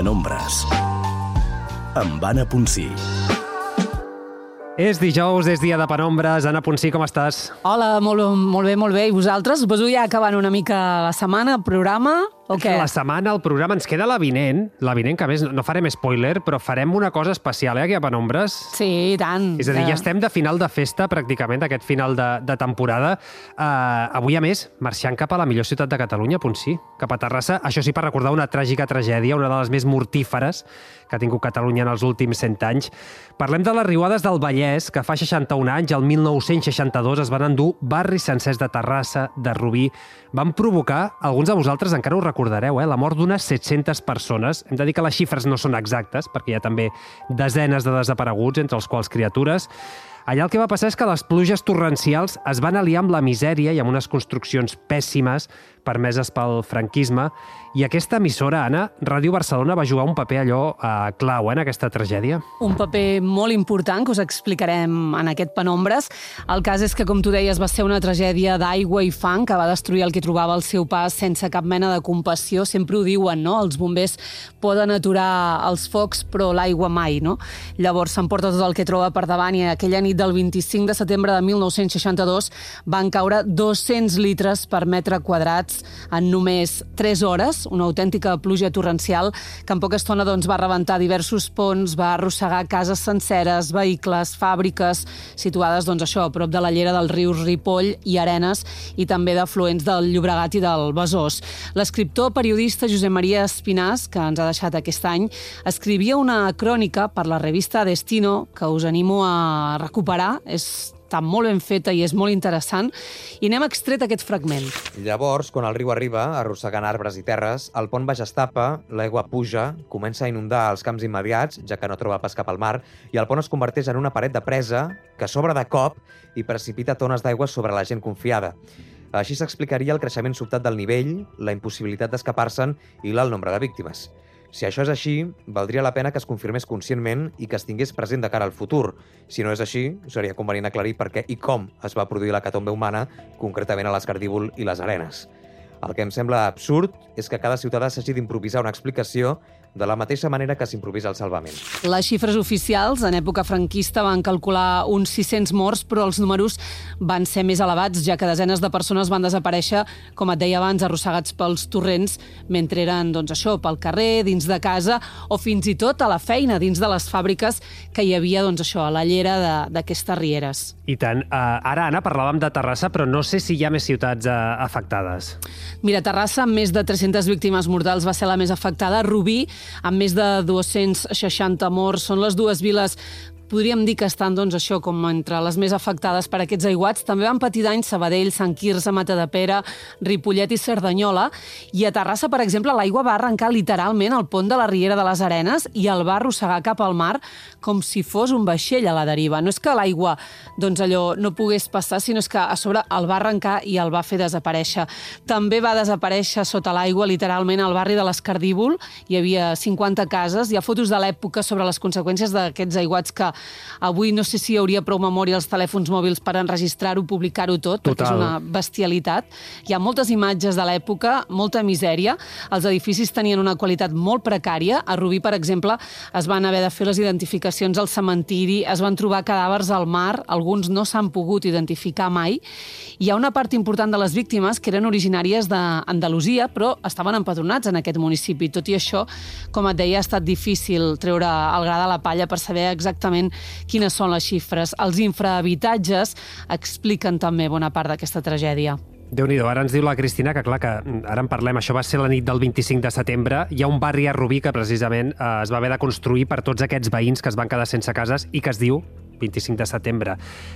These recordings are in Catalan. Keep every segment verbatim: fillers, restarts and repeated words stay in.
Penombres, amb Anna Ponsí. És dijous, és dia de Penombres. Anna Ponsí, com estàs? Hola, molt, molt bé, molt bé. I vosaltres? Suposo ja acabant una mica la setmana, el programa, o què? La setmana, el programa, ens queda l'avinent. L'avinent, que a més no farem spoiler, però farem una cosa especial, eh, aquí a Penombres. Sí, i tant. És a dir, ja estem de final de festa, pràcticament, d'aquest final de, de temporada. Uh, avui, a més, marxant cap a la millor ciutat de Catalunya, Ponsí, cap a Terrassa. Això sí, per recordar una tràgica tragèdia, una de les més mortíferes que ha tingut Catalunya en els últims cent anys. Parlem de les riuades del Vallès, que fa seixanta-un anys, el mil nou-cents seixanta-dos, es van endur barris sencers de Terrassa, de Rubí. Van provocar, alguns de vosaltres encara ho recordareu, eh, la mort d'unes set-centes persones. Hem de dir que les xifres no són exactes, perquè hi ha també desenes de desapareguts, entre els quals criatures. Allà el que va passar és que les pluges torrencials es van aliar amb la misèria i amb unes construccions pèssimes permeses pel franquisme, i aquesta emissora, Anna, Ràdio Barcelona, va jugar un paper allò eh, clau eh, en aquesta tragèdia. Un paper molt important que us explicarem en aquest Penombres. El cas és que, com tu deies, va ser una tragèdia d'aigua i fang que va destruir el que trobava al seu pas sense cap mena de compassió. Sempre ho diuen, no? Els bombers poden aturar els focs, però l'aigua mai, no? Llavors s'emporta tot el que troba per davant, i aquella nit del vint-i-cinc de setembre de mil nou-cents seixanta-dos van caure dos-cents litres per metre quadrat en només tres hores, una autèntica pluja torrencial que en poca estona doncs, va rebentar diversos ponts, va arrossegar cases senceres, vehicles, fàbriques situades doncs, això, a prop de la llera dels rius Ripoll i Arenes, i també d'afluents del Llobregat i del Besòs. L'escriptor periodista Josep Maria Espinàs, que ens ha deixat aquest any, escrivia una crònica per la revista Destino, que us animo a recuperar. És està molt ben feta i és molt interessant, i n'hem extret aquest fragment. Llavors, quan el riu arriba, arrossegant arbres i terres, el pont baix es tapa, l'aigua puja, comença a inundar els camps immediats, ja que no troba pas cap al mar, i el pont es converteix en una paret de presa que s'obre de cop i precipita tones d'aigua sobre la gent confiada. Així s'explicaria el creixement sobtat del nivell, la impossibilitat d'escapar-se'n i l'alt nombre de víctimes. Si això és així, valdria la pena que es confirmés conscientment i que es tingués present de cara al futur. Si no és així, seria convenient aclarir per què i com es va produir l'hecatombe humana, concretament a l'Escardívol i les Arenes. El que em sembla absurd és que cada ciutadà s'hagi d'improvisar una explicació de la mateixa manera que s'improvisa el salvament. Les xifres oficials en època franquista van calcular uns sis-cents morts, però els números van ser més elevats, ja que desenes de persones van desaparèixer, com et deia abans, arrossegats pels torrents, mentre eren, doncs això, pel carrer, dins de casa, o fins i tot a la feina, dins de les fàbriques que hi havia, doncs això, a la llera d'aquestes rieres. I tant. Uh, ara, Anna, parlàvem de Terrassa, però no sé si hi ha més ciutats uh, afectades. Mira, Terrassa, amb més de tres-centes víctimes mortals, va ser la més afectada. Rubí, amb més de dos-cents seixanta morts, són les dues viles, podríem dir que estan, doncs, això, com entre les més afectades per aquests aiguats. També van patir danys Sabadell, Sant Quirze, Matadepera, Ripollet i Cerdanyola. I a Terrassa, per exemple, l'aigua va arrencar literalment el pont de la Riera de les Arenes i el va arrossegar cap al mar com si fos un vaixell a la deriva. No és que l'aigua, doncs, allò no pogués passar, sinó és que a sobre el va arrencar i el va fer desaparèixer. També va desaparèixer sota l'aigua, literalment, al barri de l'Escardívol. Hi havia cinquanta cases. Hi ha fotos de l'època sobre les conseqüències d'aquests aiguats que avui no sé si hi hauria prou memòria als telèfons mòbils per enregistrar-ho, publicar-ho tot, Total. perquè és una bestialitat. Hi ha moltes imatges de l'època, molta misèria. Els edificis tenien una qualitat molt precària. A Rubí, per exemple, es van haver de fer les identificacions al cementiri, es van trobar cadàvers al mar, alguns no s'han pogut identificar mai. Hi ha una part important de les víctimes que eren originàries d'Andalusia, però estaven empadronats en aquest municipi. Tot i això, com et deia, ha estat difícil treure el gra de la palla per saber exactament quines són les xifres. Els infrahabitatges expliquen també bona part d'aquesta tragèdia. Déu-n'hi-do, ara ens diu la Cristina que, clar, que ara en parlem, això va ser la nit del vint-i-cinc de setembre. Hi ha un barri a Rubí que precisament eh, es va haver de construir per tots aquests veïns que es van quedar sense cases i que es diu vint-i-cinc de setembre.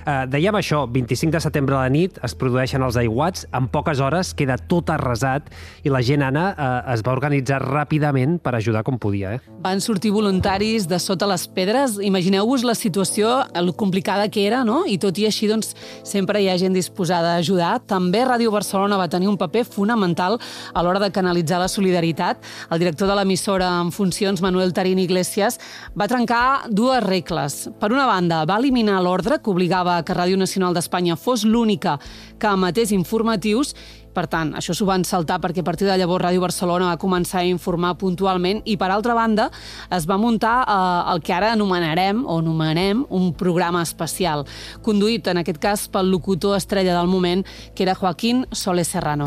Eh, dèiem això, vint-i-cinc de setembre a la nit es produeixen els aiguats, en poques hores queda tot arrasat i la gent, Anna, eh, es va organitzar ràpidament per ajudar com podia. Eh? Van sortir voluntaris de sota les pedres. Imagineu-vos la situació, el complicada que era, no? I tot i així, doncs, sempre hi ha gent disposada a ajudar. També Ràdio Barcelona va tenir un paper fonamental a l'hora de canalitzar la solidaritat. El director de l'emissora en funcions, Manuel Tarín Iglesias, va trencar dues regles. Per una banda, va eliminar l'ordre que obligava que Ràdio Nacional d'Espanya fos l'única que emetés informatius, Per tant, això s'ho van saltar perquè a partir de llavors Ràdio Barcelona va començar a informar puntualment i, per altra banda, es va muntar eh, el que ara anomenarem o anomenem un programa especial, conduït, en aquest cas, pel locutor estrella del moment, que era Joaquín Soler Serrano.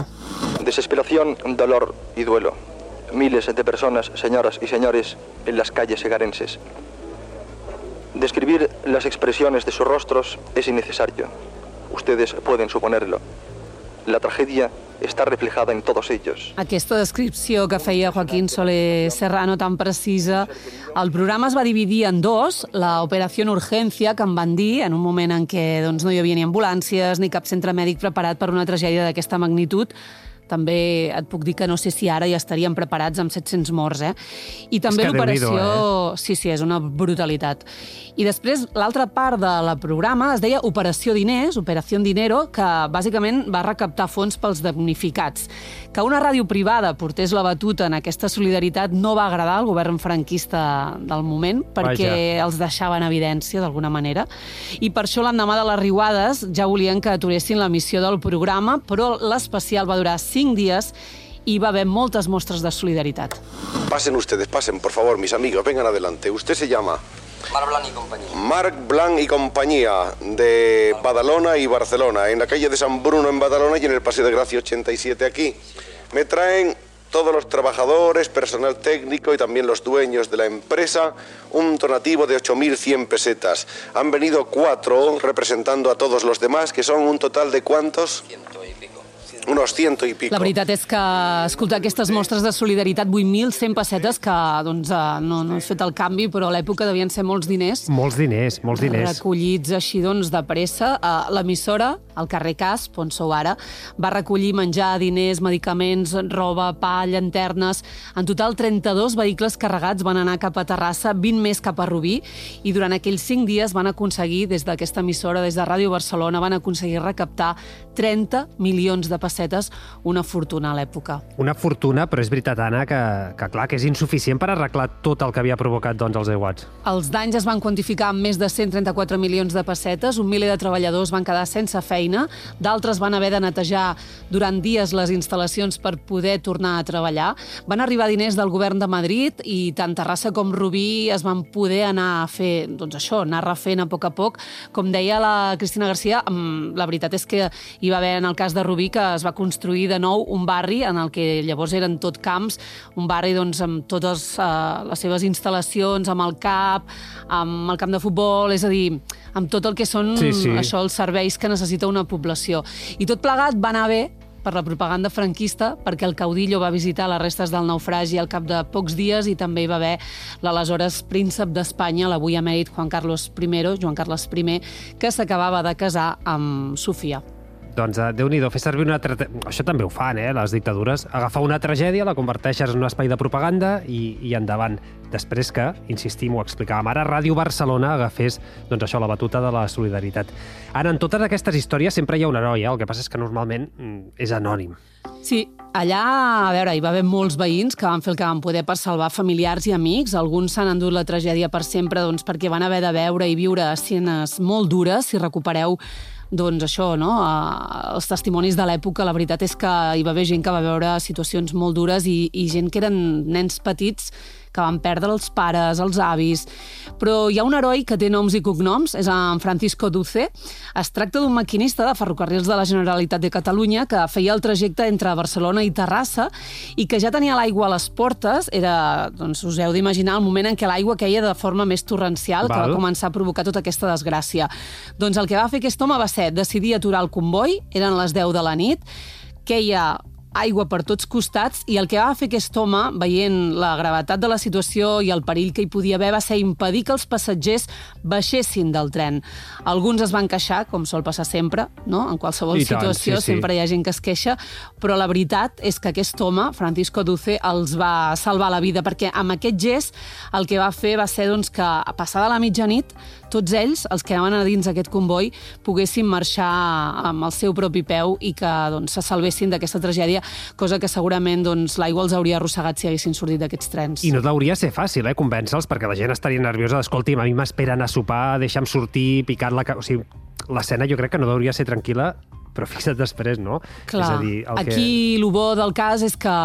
Desesperación, dolor y duelo. Miles de personas, señoras y señores, en las calles segarenses. Describir las expresiones de sus rostros es innecesario. Ustedes pueden suponerlo. La tragedia està reflejada en tots ells. Aquesta descripció que feia Joaquín Soler Serrano tan precisa, el programa es va dividir en dos, la Operació Urgència, que en van dir en un moment en què doncs, no hi havia ni ambulàncies ni cap centre mèdic preparat per una tragèdia d'aquesta magnitud. També et puc dir que no sé si ara ja estaríem preparats amb set-cents morts, eh? I també l'operació... Eh? Sí, sí, és una brutalitat. I després, l'altra part de la programa es deia Operació Diners, Operació Dinero, que bàsicament va recaptar fons pels damnificats. Que una ràdio privada portés la batuta en aquesta solidaritat no va agradar al govern franquista del moment, perquè Vaja. els deixava en evidència, d'alguna manera. I per això l'endemà de les riuades ja volien que aturessin l'emissió del programa, però l'especial va durar cinc dies y va a haber muchas muestras de solidaridad. Pasen ustedes, pasen, por favor, mis amigos, vengan adelante. Usted se llama... Marc Blanc y compañía. Marc Blanc y compañía, de Badalona y Barcelona, en la calle de San Bruno en Badalona y en el Paseo de Gracia ochenta y siete aquí. Me traen todos los trabajadores, personal técnico y también los dueños de la empresa, un donativo de ocho mil cien pesetas. Han venido cuatro representando a todos los demás, que son un total de ¿cuántos? Ciento y pico. Unos ciento y pico. La veritat és que escoltar aquestes mostres de solidaritat, vuit mil cent pessetes, que doncs, no, no he fet el canvi, però a l'època devien ser molts diners. Molts diners, molts diners. Recollits així doncs de pressa. L'emissora, al carrer Casp, on sou ara, va recollir menjar, diners, medicaments, roba, pa, llanternes. En total, trenta-dos vehicles carregats van anar cap a Terrassa, vint més cap a Rubí, i durant aquells cinc dies van aconseguir, des d'aquesta emissora, des de Ràdio Barcelona, van aconseguir recaptar trenta milions de pessetes, una fortuna a l'època. Una fortuna, però és veritat, Anna, que, que clar, que és insuficient per arreglar tot el que havia provocat doncs, els aiguats. Els danys es van quantificar amb més de cent trenta-quatre milions de pessetes, un miler de treballadors van quedar sense feina, d'altres van haver de netejar durant dies les instal·lacions per poder tornar a treballar. Van arribar diners del govern de Madrid i tant Terrassa com Rubí es van poder anar a fer, doncs això, anar refent a poc a poc. Com deia la Cristina Garcia, la veritat és que hi va haver en el cas de Rubí que es va construir de nou un barri en el que llavors eren tot camps, un barri doncs, amb totes uh, les seves instal·lacions, amb el CAP, amb el camp de futbol, és a dir, amb tot el que són sí, sí. això, els serveis que necessita una població. I tot plegat va anar bé per la propaganda franquista, perquè el caudillo va visitar les restes del naufragi al cap de pocs dies i també hi va haver l'aleshores príncep d'Espanya, l'avui emèrit Juan Carlos I, Joan Carles I, que s'acabava de casar amb Sofia. Doncs, Déu-n'hi-do, fer servir una... Tra... Això també ho fan, eh, les dictadures. Agafar una tragèdia, la converteixes en un espai de propaganda i, i endavant. Després que, insistim, ho explicàvem ara, Ràdio Barcelona agafés doncs això, la batuta de la solidaritat. Ara, en totes aquestes històries sempre hi ha un heroi, eh? El que passa és que normalment és anònim. Sí, allà, a veure, hi va haver molts veïns que van fer el que van poder per salvar familiars i amics. Alguns s'han endut la tragèdia per sempre doncs, perquè van haver de veure i viure escenes molt dures. Si recupereu doncs això, no? Els testimonis de l'època, la veritat és que hi va haver gent que va veure situacions molt dures i, i gent que eren nens petits que van perdre els pares, els avis. Però hi ha un heroi que té noms i cognoms, és en Francisco Duce. Es tracta d'un maquinista de ferrocarrils de la Generalitat de Catalunya que feia el trajecte entre Barcelona i Terrassa i que ja tenia l'aigua a les portes. Era, doncs, us heu d'imaginar el moment en què l'aigua queia de forma més torrencial, Val. que va començar a provocar tota aquesta desgràcia. Doncs el que va fer aquest home va ser decidir aturar el comboi, eren les deu de la nit, queia aigua per tots costats, i el que va fer aquest home, veient la gravetat de la situació i el perill que hi podia haver, va ser impedir que els passatgers baixessin del tren. Alguns es van queixar, com sol passar sempre, no? En qualsevol I tant, situació sí, sí. sempre hi ha gent que es queixa, però la veritat és que aquest home, Francisco Duce, els va salvar la vida, perquè amb aquest gest el que va fer va ser doncs, que a passada la mitjanit tots ells, els que anaven a dins d'aquest comboi, poguessin marxar amb el seu propi peu i que doncs, se salvessin d'aquesta tragèdia, cosa que segurament doncs, l'aigua els hauria arrossegat si haguessin sortit d'aquests trens. I no hauria de ser fàcil, eh, convèncer-los, perquè la gent estaria nerviosa. Escolti'm, a mi m'esperen a sopar, deixa'm sortir, picar la... O sigui, l'escena jo crec que no hauria de ser tranquil·la però fixa't després, no? Clar, és a dir, el aquí que... el bo del cas és que,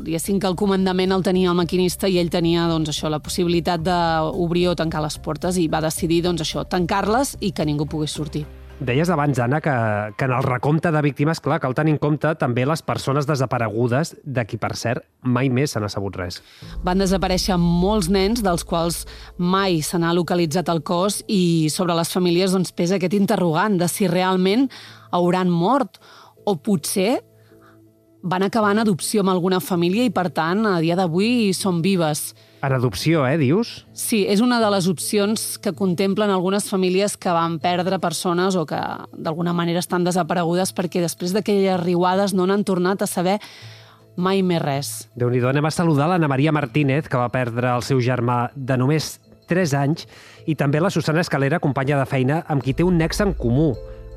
diguéssim, que el comandament el tenia el maquinista i ell tenia, doncs, això, la possibilitat d'obrir o tancar les portes i va decidir, doncs, això, tancar-les i que ningú pogués sortir. Deies abans, Anna, que, que en el recompte de víctimes, clar, cal tenir en compte també les persones desaparegudes, de qui, per cert, mai més se n'ha sabut res. Van desaparèixer molts nens, dels quals mai se n'ha localitzat el cos, i sobre les famílies doncs, pesa aquest interrogant de si realment hauran mort o potser van acabar en adopció amb alguna família i, per tant, a dia d'avui són vives. En adopció, eh, dius? Sí, és una de les opcions que contemplen algunes famílies que van perdre persones o que d'alguna manera estan desaparegudes perquè després d'aquelles riuades no n'han tornat a saber mai més res. Déu-n'hi-do, anem a saludar l'Anna Maria Martínez, que va perdre el seu germà de només tres anys, i també la Susana Escalera, companya de feina, amb qui té un nexe en comú.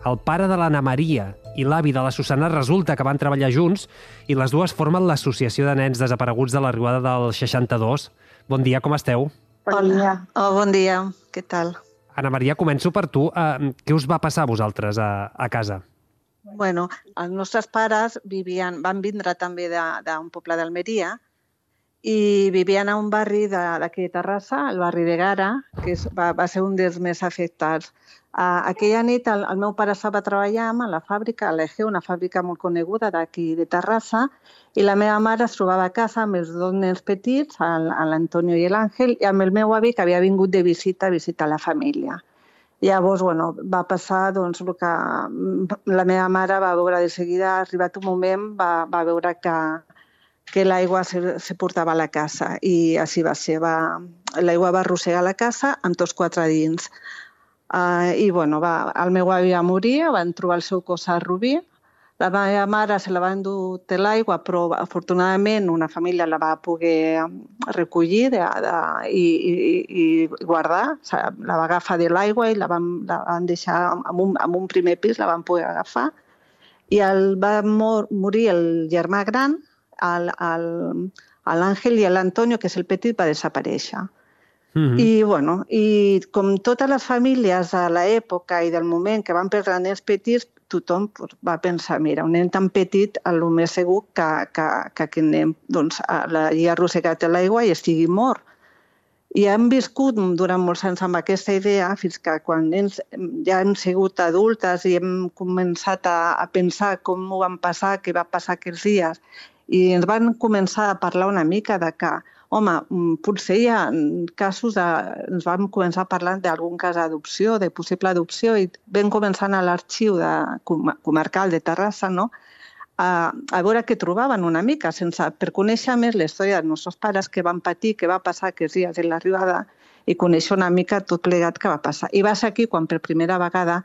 El pare de l'Anna Maria i l'avi de la Susana resulta que van treballar junts i les dues formen l'Associació de Nens Desapareguts de la Riuada del seixanta-dos. Bon dia, com esteu? Bon dia. Oh, bon dia, què tal? Anna Maria, començo per tu. Uh, què us va passar a vosaltres a, a casa? Bueno, els nostres pares vivien, van vindre també d'un poble d'Almeria i vivien a un barri d'aquí de Terrassa, el barri de Gara, que és, va, va ser un dels més afectats. Uh, aquella nit el, el meu pare estava treballant a la fàbrica, a l'E G, una fàbrica molt coneguda d'aquí de Terrassa, i la meva mare es trobava a casa amb els dos nens petits, l'Antonio i l'Àngel, i amb el meu avi, que havia vingut de visita a visitar la família. Llavors, bueno, va passar doncs, el que la meva mare va veure de seguida, ha arribat un moment, va, va veure que, que l'aigua se, se portava a la casa, i així va ser. L'aigua va arrossegar la casa amb tots quatre dins. Uh, I bueno, va, el meu avi va morir, van trobar el seu cos a Rubí. La meva mare se la va endur de l'aigua, però afortunadament una família la va poder recollir de, de, i, i, i guardar. O sigui, la va agafar de l'aigua i la van, la van deixar en un, en un primer pis, la van poder agafar. I el, va mor, morir el germà gran, l'Àngel, i l'Antonio, que és el petit, va desaparèixer. Mm-hmm. I, bueno, i com totes les famílies de l'època i del moment que van perdre nens petits, tothom va pensar, mira, un nen tan petit, el més segur que, que, que aquest nen doncs, l'hagi arrossegat a l'aigua i estigui mort. I hem viscut durant molts anys amb aquesta idea fins que quan nens ja hem sigut adultes i hem començat a, a pensar com ho van passar, què va passar aquells dies, i ens van començar a parlar una mica de que home, potser hi ha casos de... Ens vam començar a parlar d'algun cas d'adopció, de possible adopció, i vam començar a l'arxiu comarcal de Terrassa, no? a, a veure què trobaven una mica, sense, per conèixer més la història dels nostres pares, què van patir, què va passar aquests dies en l'arribada, i conèixer una mica tot plegat que va passar. I va ser aquí quan per primera vegada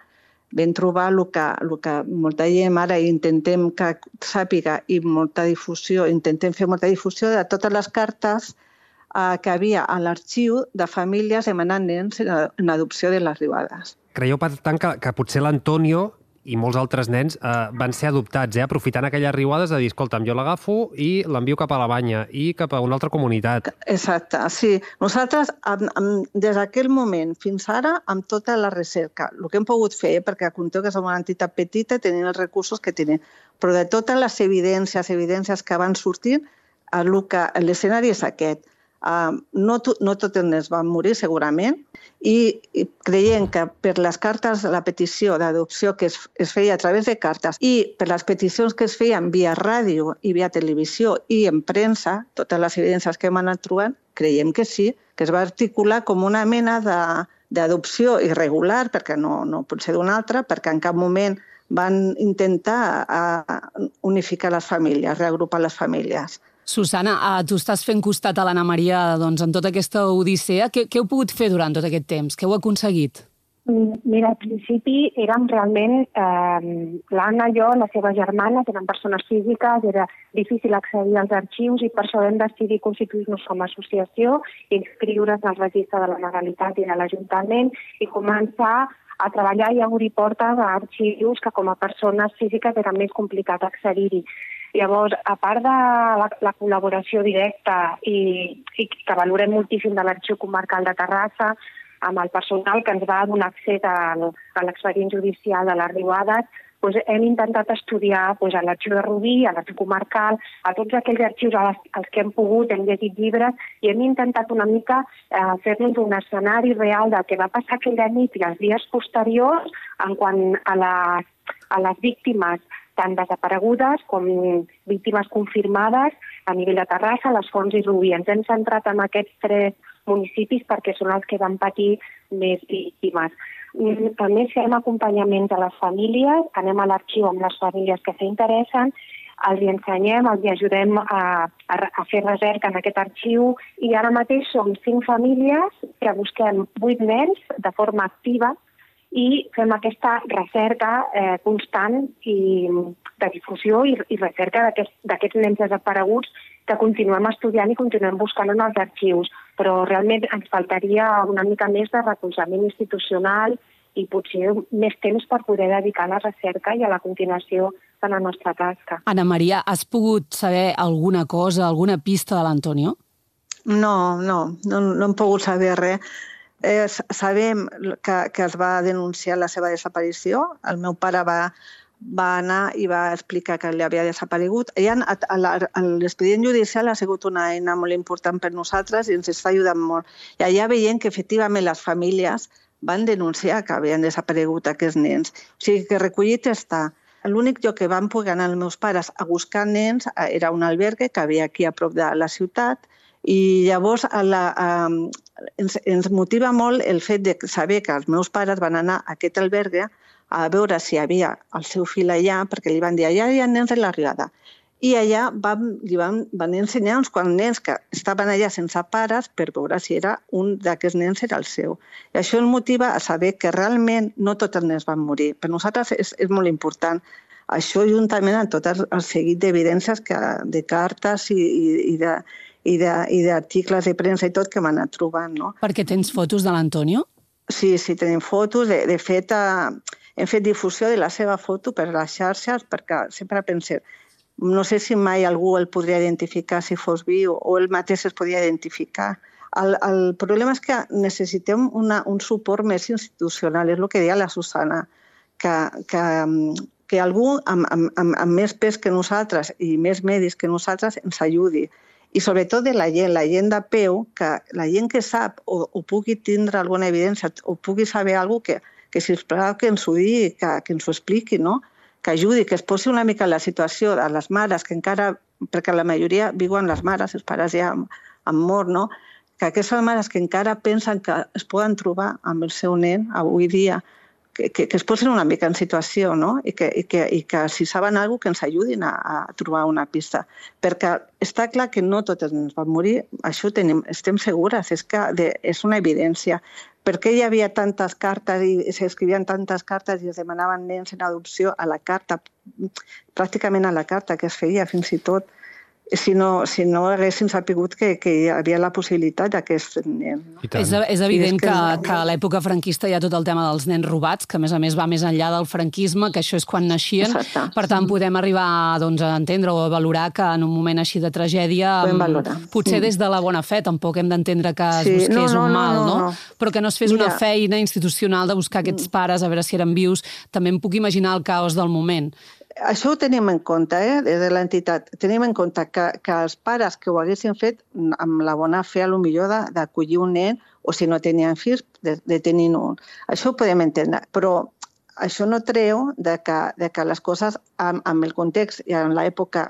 vam trobar el que, el que molta gent ara intentem que sàpiga i molta difusió, intentem fer molta difusió de totes les cartes eh, que havia a l'arxiu de famílies demanant nens en adopció de les Riuades. Creieu, per tant, que, que potser l'Antonio i molts altres nens eh, van ser adoptats, eh, aprofitant aquelles riuades de dir, escolta'm, jo l'agafo i l'envio cap a la banya i cap a una altra comunitat. Exacte, sí. Nosaltres, amb, amb, des d'aquell moment fins ara, amb tota la recerca, el que hem pogut fer, perquè conteu que som una entitat petita, tenim els recursos que tenim, però de totes les evidències, evidències que van sortir, l'escenari és aquest. Uh, no, to, no tots els nens van morir, segurament, i, i creient que per les cartes de la petició d'adopció que es, es feia a través de cartes i per les peticions que es feien via ràdio i via televisió i en premsa, totes les evidències que hem anat trobant, creiem que sí, que es va articular com una mena d'adopció irregular, perquè no, no pot ser d'una altra, perquè en cap moment van intentar uh, unificar les famílies, reagrupar les famílies. Susana, tu estàs fent costat a l'Anna Maria doncs, en tota aquesta odissea. Què, què heu pogut fer durant tot aquest temps? Què heu aconseguit? Mira, al principi érem realment, eh, l'Anna i jo, les seves germanes, eren persones físiques, era difícil accedir als arxius i per això vam decidir constituir-nos com a associació, inscriure's al registre de la Legalitat i de l'Ajuntament i començar a treballar i a obrir portes a arxius que com a persones físiques era més complicat accedir-hi. Llavors, a part de la, la col·laboració directa i, i que valorem moltíssim de l'Arxiu Comarcal de Terrassa, amb el personal que ens va donar accés a, a l'expedient judicial de les Riuades, doncs hem intentat estudiar doncs, a l'Arxiu de Rubí, a l'Arxiu Comarcal, a tots aquells arxius als que hem pogut, hem llegit llibres, i hem intentat una mica eh, fer-nos un escenari real del que va passar aquella nit i els dies posteriors en quant a les, a les víctimes tant desaparegudes com víctimes confirmades a nivell de Terrassa, Les Fonts i Rubí. Ens hem centrat en aquests tres municipis perquè són els que van patir més víctimes. A més, fem acompanyaments a les famílies, anem a l'arxiu amb les famílies que s'interessen, els hi ensenyem, els hi ajudem a, a, a fer recerca en aquest arxiu i ara mateix som cinc famílies que busquem vuit nens de forma activa i fem aquesta recerca eh, constant i de difusió i, i recerca d'aquests aquest, nens desapareguts que continuem estudiant i continuem buscant en els arxius. Però realment ens faltaria una mica més de recolzament institucional i potser més temps per poder dedicar a la recerca i a la continuació de la nostra tasca. Ana Maria, has pogut saber alguna cosa, alguna pista de l'Antonio? No, no, no, no hem pogut saber res. Eh, sabem que, que es va denunciar la seva desaparició. El meu pare va, va anar i va explicar que li havia desaparegut. L'expedient judicial ha sigut una eina molt important per nosaltres i ens està ajudant molt. I allà veiem que efectivament les famílies van denunciar que havien desaparegut aquests nens. O sigui que recollit està. L'únic lloc que van poder anar els meus pares a buscar nens era un albergue que havia aquí a prop de la ciutat i llavors a la, a, ens, ens motiva molt el fet de saber que els meus pares van anar a aquest albergue a veure si hi havia el seu fill allà, perquè li van dir allà hi ha nens de l'arribada. I allà van, li van, van ensenyar uns quants nens que estaven allà sense pares per veure si era un d'aquests nens era el seu. I això ens motiva a saber que realment no tots els nens van morir. Per nosaltres és, és molt important. Això juntament amb tot el, el seguit d'evidències de cartes i, i, i de i d'articles de, de premsa i tot que m'han anat trobant. No? Perquè tens fotos de l'Antonio? Sí, sí, tenim fotos. De, de fet, eh, hem fet difusió de la seva foto per les xarxes perquè sempre pensem, no sé si mai algú el podria identificar si fos viu o ell mateix es podia identificar. El, el problema és que necessitem una, un suport més institucional, és el que deia la Susana, que, que, que algú amb, amb, amb, amb més pes que nosaltres i més medis que nosaltres ens ajudi. I sobretot de la gent, la gent de peu, que la gent que sap o, o pugui tindre alguna evidència o pugui saber alguna cosa, que, que sisplau que ens ho digui, que, que ens ho expliqui, no? Que ajudi, que es posi una mica en la situació de les mares, que encara, perquè la majoria viuen les mares, els pares ja han, han mort, no? Que aquestes mares que encara pensen que es poden trobar amb el seu nen avui dia, que, que, que es posin una mica en situació, no? I que, i que, i que si saben alguna cosa que ens ajudin a, a trobar una pista. Perquè està clar que no totes ens van morir, això tenim, estem segures, és que de, és una evidència. Per què hi havia tantes cartes i s'escrivien tantes cartes i es demanaven nens en adopció a la carta, pràcticament a la carta que es feia fins i tot, si no, si no haguéssim sapigut que, que hi havia la possibilitat d'aquest nen. No? És, és evident és que, que, que a l'època franquista hi ha tot el tema dels nens robats, que a més a més va més enllà del franquisme, que això és quan naixien. Exacte. Per tant, podem arribar doncs, a entendre o a valorar que en un moment així de tragèdia, potser sí. Des de la bona fe, tampoc hem d'entendre que es sí. busqués no, no, un mal, no? no, no. no? Però que no es fes Mira. una feina institucional de buscar aquests pares, a veure si eren vius. També em puc imaginar el caos del moment. Això ho tenim en compte, eh, des de l'entitat. Tenim en compte que, que els pares que ho haguessin fet amb la bona fe, a lo millor d'acollir un nen, o si no tenien fills, de, de tenir un. Això ho podem entendre, però això no treu de que, de que les coses, amb, amb el context i en l'època,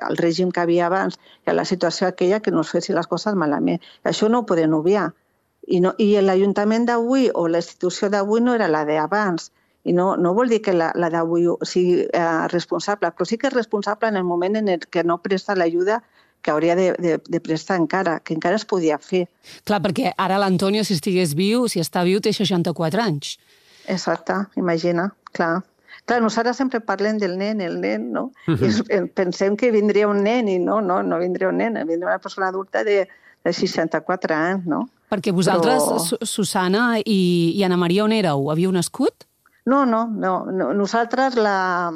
el règim que havia abans, i la situació aquella, que no es fessin les coses malament. Això no ho podem obviar. I, no, i l'Ajuntament d'avui o la institució d'avui no era la d'abans. I no, no vol dir que la, la d'avui sigui eh, responsable, però sí que és responsable en el moment en el que no presta l'ajuda que hauria de, de, de prestar encara, que encara es podia fer. Clar, perquè ara l'Antonio, si estigués viu, si està viu, té seixanta-quatre anys. Exacte, imagina, clar. Clar, nosaltres sempre parlem del nen, el nen, no? Uh-huh. I pensem que vindria un nen i no, no, no vindria un nen, vindria una persona adulta de, de seixanta-quatre anys, no? Perquè vosaltres, Però... Susana i, i Ana Maria, on éreu? Havíeu nascut? No, no, no. Nosaltres, la,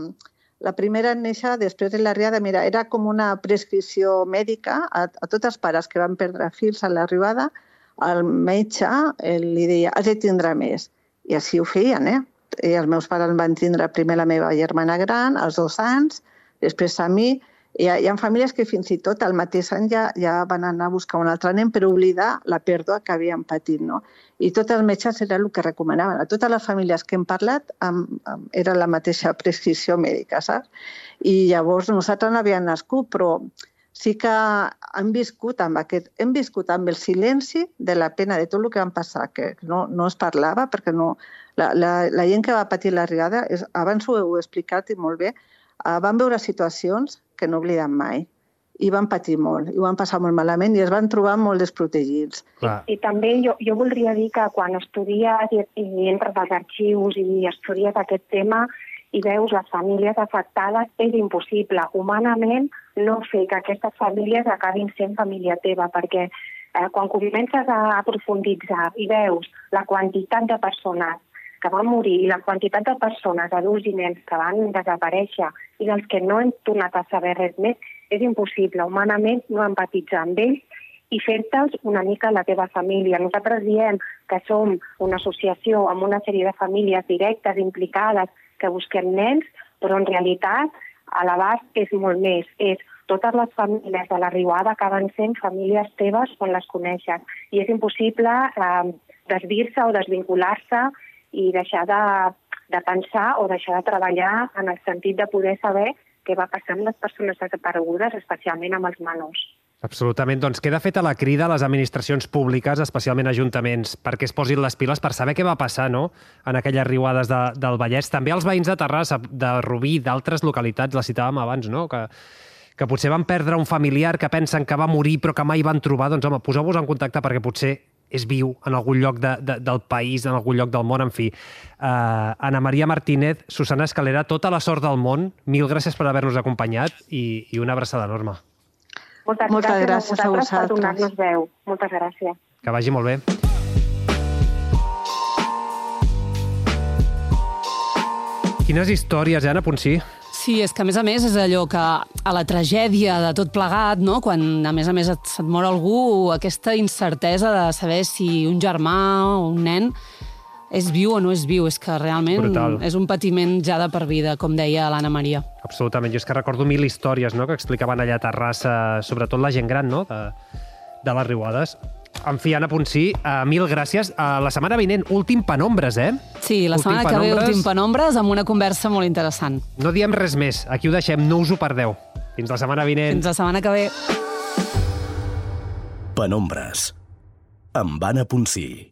la primera en néixer després de l'arribada, mira, era com una prescripció mèdica a, a tots els pares que van perdre fills a l'arribada, el metge li deia, has de tindre més. I així ho feien, eh? I els meus pares van tindre primer la meva germana gran, als dos anys, després a mi. Hi ha, hi ha famílies que fins i tot al mateix any ja, ja van anar a buscar un altre nen per oblidar la pèrdua que havien patit, no? I tots els metges era el que recomanaven. A totes les famílies que hem parlat amb, amb, era la mateixa prescripció mèdica, saps? I llavors nosaltres no havíem nascut, però sí que hem viscut amb aquest, hem viscut amb el silenci de la pena de tot el que van passar, que no, no es parlava, perquè no, la, la, la gent que va patir l'arribada, abans ho heu explicat i molt bé, uh, van veure situacions que no obliden mai. I van patir molt, i ho van passar molt malament i es van trobar molt desprotegits. I, i també jo, jo voldria dir que quan estudies i, i entres als arxius i estudies aquest tema i veus les famílies afectades, és impossible humanament no fer que aquestes famílies acabin sent família teva, perquè eh, quan comences a profunditzar i veus la quantitat de persones que van morir i la quantitat de persones, adults i nens, que van desaparèixer i dels que no hem tornat a saber res més, és impossible humanament no empatitzar amb ells i fer-te'ls una mica la teva família. Nosaltres diem que som una associació amb una sèrie de famílies directes, implicades, que busquem nens, però en realitat a l'abast és molt més. És totes les famílies de la Riuada acaben sent famílies teves quan les coneixes. I és impossible eh, desdir-se o desvincular-se i deixar de, de pensar o deixar de treballar en el sentit de poder saber què va passar amb les persones desaparegudes, especialment amb els menors. Absolutament. Doncs queda feta la crida a les administracions públiques, especialment ajuntaments, perquè es posin les piles per saber què va passar, no?, en aquelles riuades de, del Vallès. També els veïns de Terrassa, de Rubí, d'altres localitats, la citàvem abans, no?, que, que potser van perdre un familiar, que pensen que va morir però que mai van trobar. Doncs, home, poseu-vos en contacte perquè potser és viu en algun lloc de, de, del país, en algun lloc del món, en fi. Uh, Ana Maria Martínez, Susana Escalera, tota la sort del món. Mil gràcies per haver-nos acompanyat i, i una abraçada enorme. Moltes, Moltes gràcies, gràcies a vosaltres per donar-nos veu. Moltes gràcies. Que vagi molt bé. Quines històries, eh, Anna Ponsí? Sí, és que a més a més és allò que a la tragèdia de tot plegat, no? Quan a més a més et, se't mor algú, aquesta incertesa de saber si un germà o un nen és viu o no és viu, és que realment brutal. És un patiment ja de per vida, com deia l'Anna Maria. Absolutament, jo és que recordo mil històries, no?, que explicaven allà a Terrassa, sobretot la gent gran, no?, de, de les riuades. En fi, Anna Ponsí, uh, mil gràcies. Uh, la setmana vinent, últim Penombres, eh? Sí, la últim setmana que ve, últim Penombres, amb una conversa molt interessant. No diem res més. Aquí ho deixem, no us ho perdeu. Fins la setmana vinent. Fins la setmana que ve. Penombres, amb Anna Ponsí.